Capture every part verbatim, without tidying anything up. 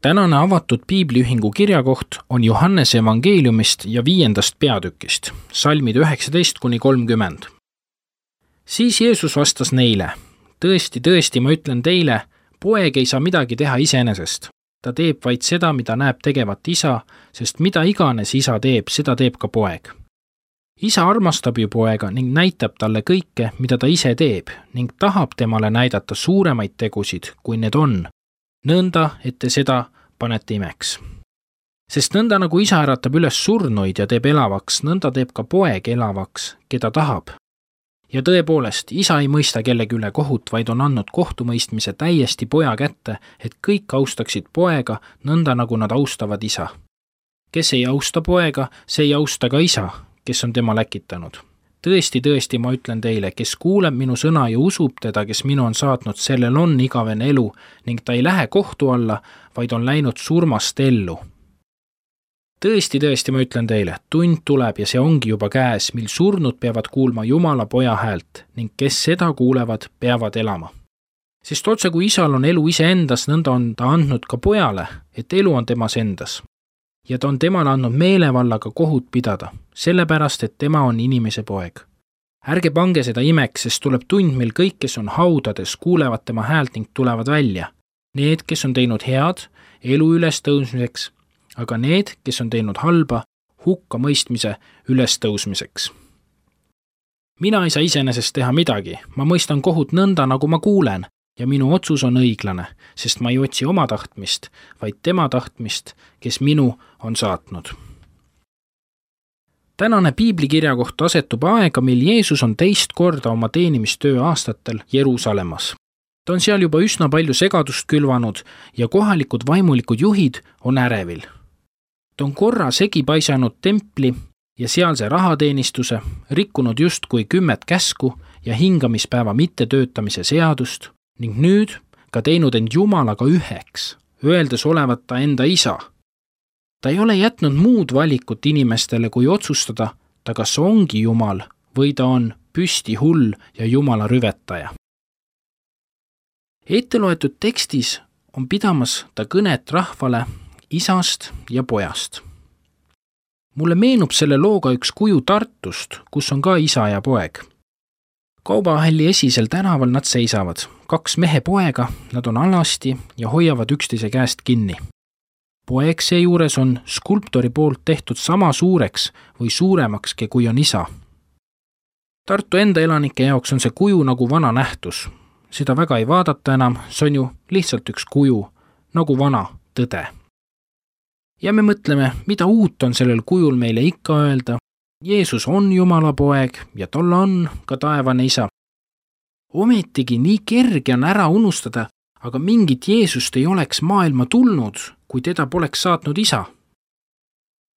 Tänane avatud piibliühingu kirjakoht on Johannese evangeeliumist ja viiendast peatükist, salmid üheksateist kuni kolmkümmend. Siis Jeesus vastas neile, tõesti, tõesti, ma ütlen teile, poeg ei saa midagi teha iseenesest. Ta teeb vaid seda, mida näeb tegevat isa, sest mida iganes isa teeb, seda teeb ka poeg. Isa armastab ju poega ning näitab talle kõike, mida ta ise teeb, ning tahab temale näidata suuremaid tegusid, kui need on, nõnda, et te seda panete imeks. Sest nõnda nagu isa äratab üles surnuid ja teeb elavaks, nõnda teeb ka poeg elavaks, keda tahab. Ja tõepoolest, isa ei mõista kellegi üle kohut, vaid on andnud kohtumõistmise täiesti poja kätte, et kõik austaksid poega, nõnda nagu nad austavad isa. Kes ei austa poega, see ei austa ka isa, kes on tema läkitanud. Tõesti, tõesti, ma ütlen teile, kes kuuleb minu sõna ja usub teda, kes minu on saatnud, sellel on igavene elu ning ta ei lähe kohtu alla, vaid on läinud surmast ellu. Tõesti, tõesti, ma ütlen teile, tund tuleb ja see ongi juba käes, mil surnud peavad kuulma Jumala poja häält ning kes seda kuulevad, peavad elama. Sest otse kui isal on elu iseendas, nõnda on ta andnud ka pojale, et elu on temas endas. Ja ta on temale andnud meelevallaga kohut pidada, sellepärast, et tema on inimese poeg. Ärge pange seda imeks, sest tuleb tund, mil kõik, kes on haudades, kuulevad tema häält ning tulevad välja. Need, kes on teinud head, elu ülestõusmiseks, aga need, kes on teinud halba, hukka mõistmise ülestõusmiseks. Mina ei saa iseenesest teha midagi, ma mõistan kohut nõnda, nagu ma kuulen, ja minu otsus on õiglane, sest ma ei otsi oma tahtmist, vaid tema tahtmist, kes minu on saatnud. Tänane piiblikirjakoht asetub aega, mil Jeesus on teist korda oma teenimistöö aastatel Jeruusalemmas. Ta on seal juba üsna palju segadust külvanud ja kohalikud vaimulikud juhid on ärevil. Ta on korra segi paisanud templi ja sealse rahateenistuse, rikkunud justkui kümmet käsku ja hingamispäeva mittetöötamise seadust, ning nüüd ka teinud end Jumalaga üheks, öeldes olevat ta enda isa. Ta ei ole jätnud muud valikut inimestele, kui otsustada, ta kas ongi Jumal või ta on püsti hull ja Jumala rüvetaja. Etteloetud tekstis on pidamas ta kõnet rahvale isast ja pojast. Mulle meenub selle looga üks kuju Tartust, kus on ka isa ja poeg. Kaubahalli esisel tänaval nad seisavad, kaks mehe poega, nad on alasti ja hoiavad üksteise käest kinni. Poeg seejuures on skulptori poolt tehtud sama suureks või suuremakski, kui on isa. Tartu enda elanike jaoks on see kuju nagu vana nähtus. Seda väga ei vaadata enam, see on ju lihtsalt üks kuju, nagu vana tõde. Ja me mõtleme, mida uut on sellel kujul meile ikka öelda. Jeesus on Jumala poeg ja tal on ka taevane isa. Ometigi nii kerge on ära unustada, aga mingit Jeesust ei oleks maailma tulnud, kui teda poleks saatnud isa.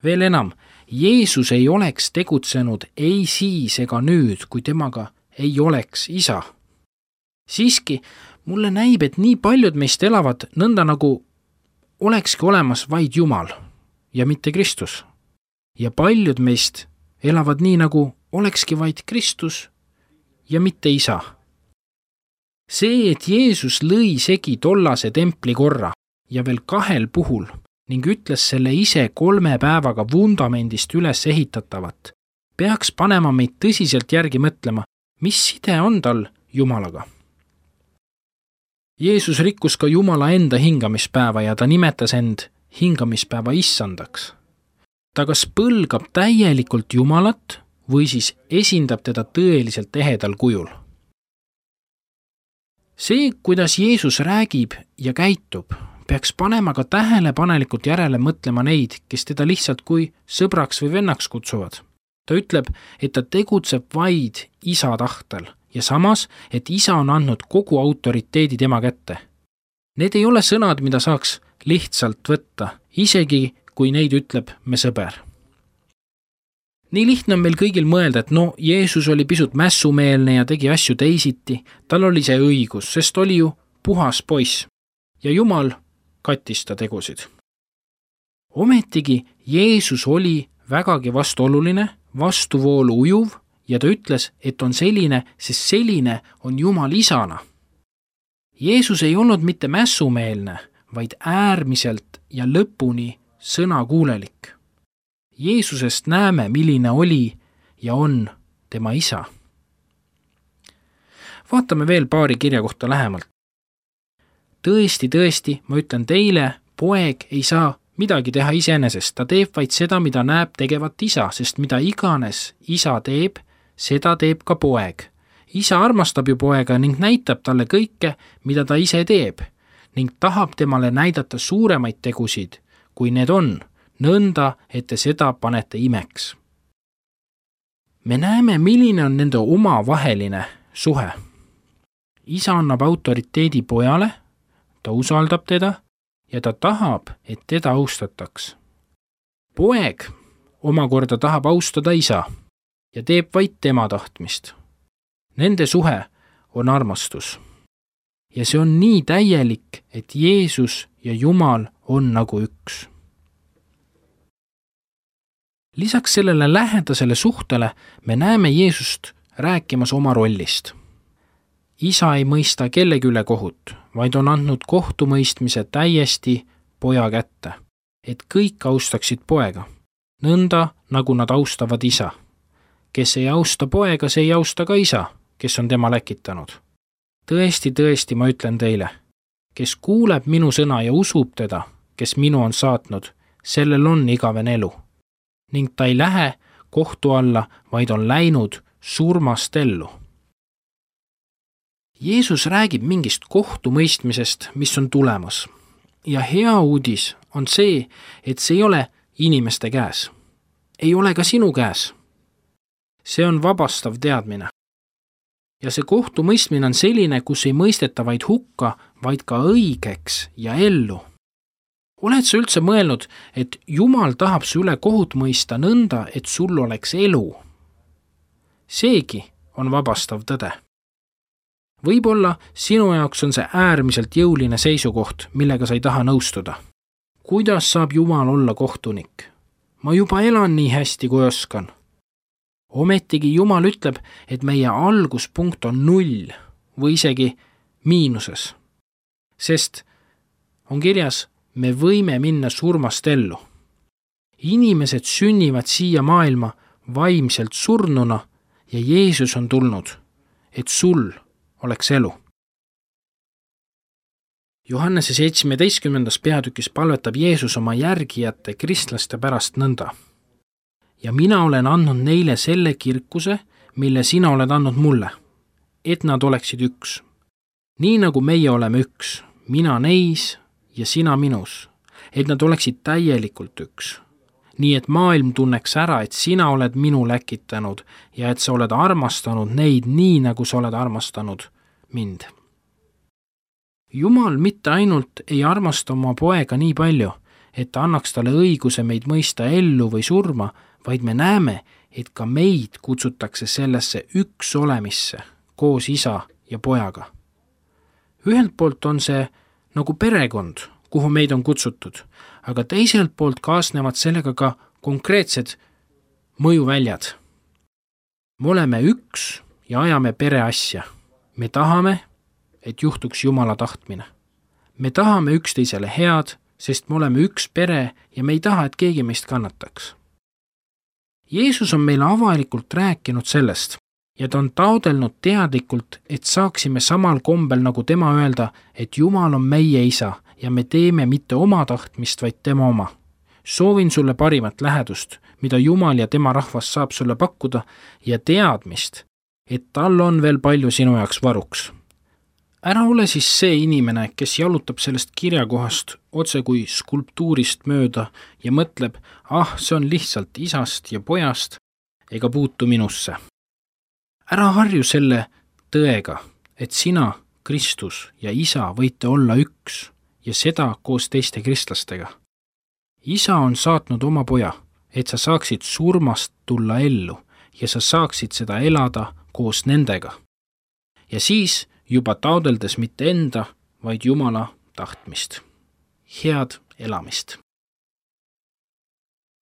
Veel enam, Jeesus ei oleks tegutsenud ei siis ega nüüd, kui temaga ei oleks isa. Siiski, mulle näib, et nii paljud meist elavad nõnda nagu olekski olemas vaid Jumal ja mitte Kristus. Ja paljud meist elavad nii, nagu olekski vaid Kristus ja mitte isa. See, et Jeesus lõi segi tollase templi korra ja veel kahel puhul ning ütles selle ise kolme päevaga vundamendist üles ehitatavat, peaks panema meid tõsiselt järgi mõtlema, mis side on tal Jumalaga. Jeesus rikkus ka Jumala enda hingamispäeva ja ta nimetas end hingamispäeva issandaks. Ta kas põlgab täielikult Jumalat või siis esindab teda tõeliselt ehedal kujul. See, kuidas Jeesus räägib ja käitub, peaks panema ka tähelepanelikult järele mõtlema neid, kes teda lihtsalt kui sõbraks või vennaks kutsuvad. Ta ütleb, et ta tegutseb vaid isa tahtel ja samas, et isa on andnud kogu autoriteedi tema kätte. Need ei ole sõnad, mida saaks lihtsalt võtta, isegi kui neid ütleb me sõber. Nii lihtne on meil kõigil mõelda, et no, Jeesus oli pisut mässumeelne ja tegi asju teisiti, tal oli see õigus, sest oli ju puhas poiss ja Jumal kattis ta tegusid. Ometigi Jeesus oli vägagi vastuoluline, vastuvoolu ujuv ja ta ütles, et on selline, sest selline on Jumal isana. Jeesus ei olnud mitte mässumeelne, vaid äärmiselt ja lõpuni sõnakuulelik. Jeesusest näeme, milline oli ja on tema isa. Vaatame veel paari kirja kohta lähemalt. Tõesti, tõesti, ma ütlen teile, poeg ei saa midagi teha iseenesest, ta teeb vaid seda, mida näeb tegevat isa, sest mida iganes isa teeb, seda teeb ka poeg. Isa armastab ju poega ning näitab talle kõike, mida ta ise teeb, ning tahab temale näidata suuremaid tegusid, kui need on, nõnda, et te seda panete imeks. Me näeme, milline on nende omavaheline suhe. Isa annab autoriteedi pojale, ta usaldab teda ja ta tahab, et teda austataks. Poeg omakorda tahab austada isa ja teeb vaid tema tahtmist. Nende suhe on armastus. Ja see on nii täielik, et Jeesus ja Jumal on nagu üks. Lisaks sellele lähedasele suhtele me näeme Jeesust rääkimas oma rollist. Isa ei mõista kellegi üle kohut, vaid on andnud kohtumõistmise täiesti poja kätte, et kõik austaksid poega, nõnda nagu nad austavad isa. Kes ei austa poega, see ei austa ka isa, kes on tema läkitanud. Tõesti, tõesti, ma ütlen teile, kes kuuleb minu sõna ja usub teda, kes minu on saatnud, sellel on igaven elu. Ning ta ei lähe kohtu alla, vaid on läinud surmast ellu. Jeesus räägib mingist kohtumõistmisest, mis on tulemas. Ja hea uudis on see, et see ei ole inimeste käes. Ei ole ka sinu käes. See on vabastav teadmine. Ja see kohtumõistmine on selline, kus ei mõisteta vaid hukka, vaid ka õigeks ja ellu. Oled sa üldse mõelnud, et Jumal tahab su üle kohut mõista nõnda, et sul oleks elu? Seegi on vabastav tõde. Võib-olla sinu jaoks on see äärmiselt jõuline seisukoht, millega sa ei taha nõustuda. Kuidas saab Jumal olla kohtunik? Ma juba elan nii hästi, kui oskan. Ometigi Jumal ütleb, et meie alguspunkt on null või isegi miinuses. Sest on kirjas, me võime minna surmast ellu. Inimesed sünnivad siia maailma vaimselt surnuna ja Jeesus on tulnud, et sul oleks elu. Johannese seitsmeteistkümnendas peatükis palvetab Jeesus oma järgijate kristlaste pärast nõnda. Ja mina olen andnud neile selle kirkuse, mille sina oled andnud mulle, et nad oleksid üks. Nii nagu meie oleme üks, mina neis ja sina minus, et nad oleksid täielikult üks. Nii et maailm tunneks ära, et sina oled minu läkitanud ja et sa oled armastanud neid nii, nagu sa oled armastanud mind. Jumal mitte ainult ei armasta oma poega nii palju, et ta annaks talle õiguse meid mõista ellu või surma, vaid me näeme, et ka meid kutsutakse sellesse üks olemisse koos isa ja pojaga. Ühelt poolt on see nagu perekond, kuhu meid on kutsutud, aga teiselt poolt kaasnevad sellega ka konkreetsed mõjuväljad. Me oleme üks ja ajame pereasja. Me tahame, et juhtuks Jumala tahtmine. Me tahame üksteisele head, sest me oleme üks pere ja me ei taha, et keegi meist kannataks. Jeesus on meile avalikult rääkinud sellest ja ta on taodelnud teadlikult, et saaksime samal kombel nagu tema öelda, et Jumal on meie isa ja me teeme mitte oma tahtmist, vaid tema oma. Soovin sulle parimat lähedust, mida Jumal ja tema rahvas saab sulle pakkuda ja teadmist, et tal on veel palju sinu jaoks varuks. Ära ole siis see inimene, kes jalutab sellest kirjakohast otse kui skulptuurist mööda ja mõtleb, ah, see on lihtsalt isast ja pojast ega puutu minusse. Ära harju selle tõega, et sina, Kristus ja isa võite olla üks ja seda koos teiste kristlastega. Isa on saatnud oma poja, et sa saaksid surmast tulla ellu ja sa saaksid seda elada koos nendega. Ja siis juba taodeldes mitte enda, vaid Jumala tahtmist. Head elamist!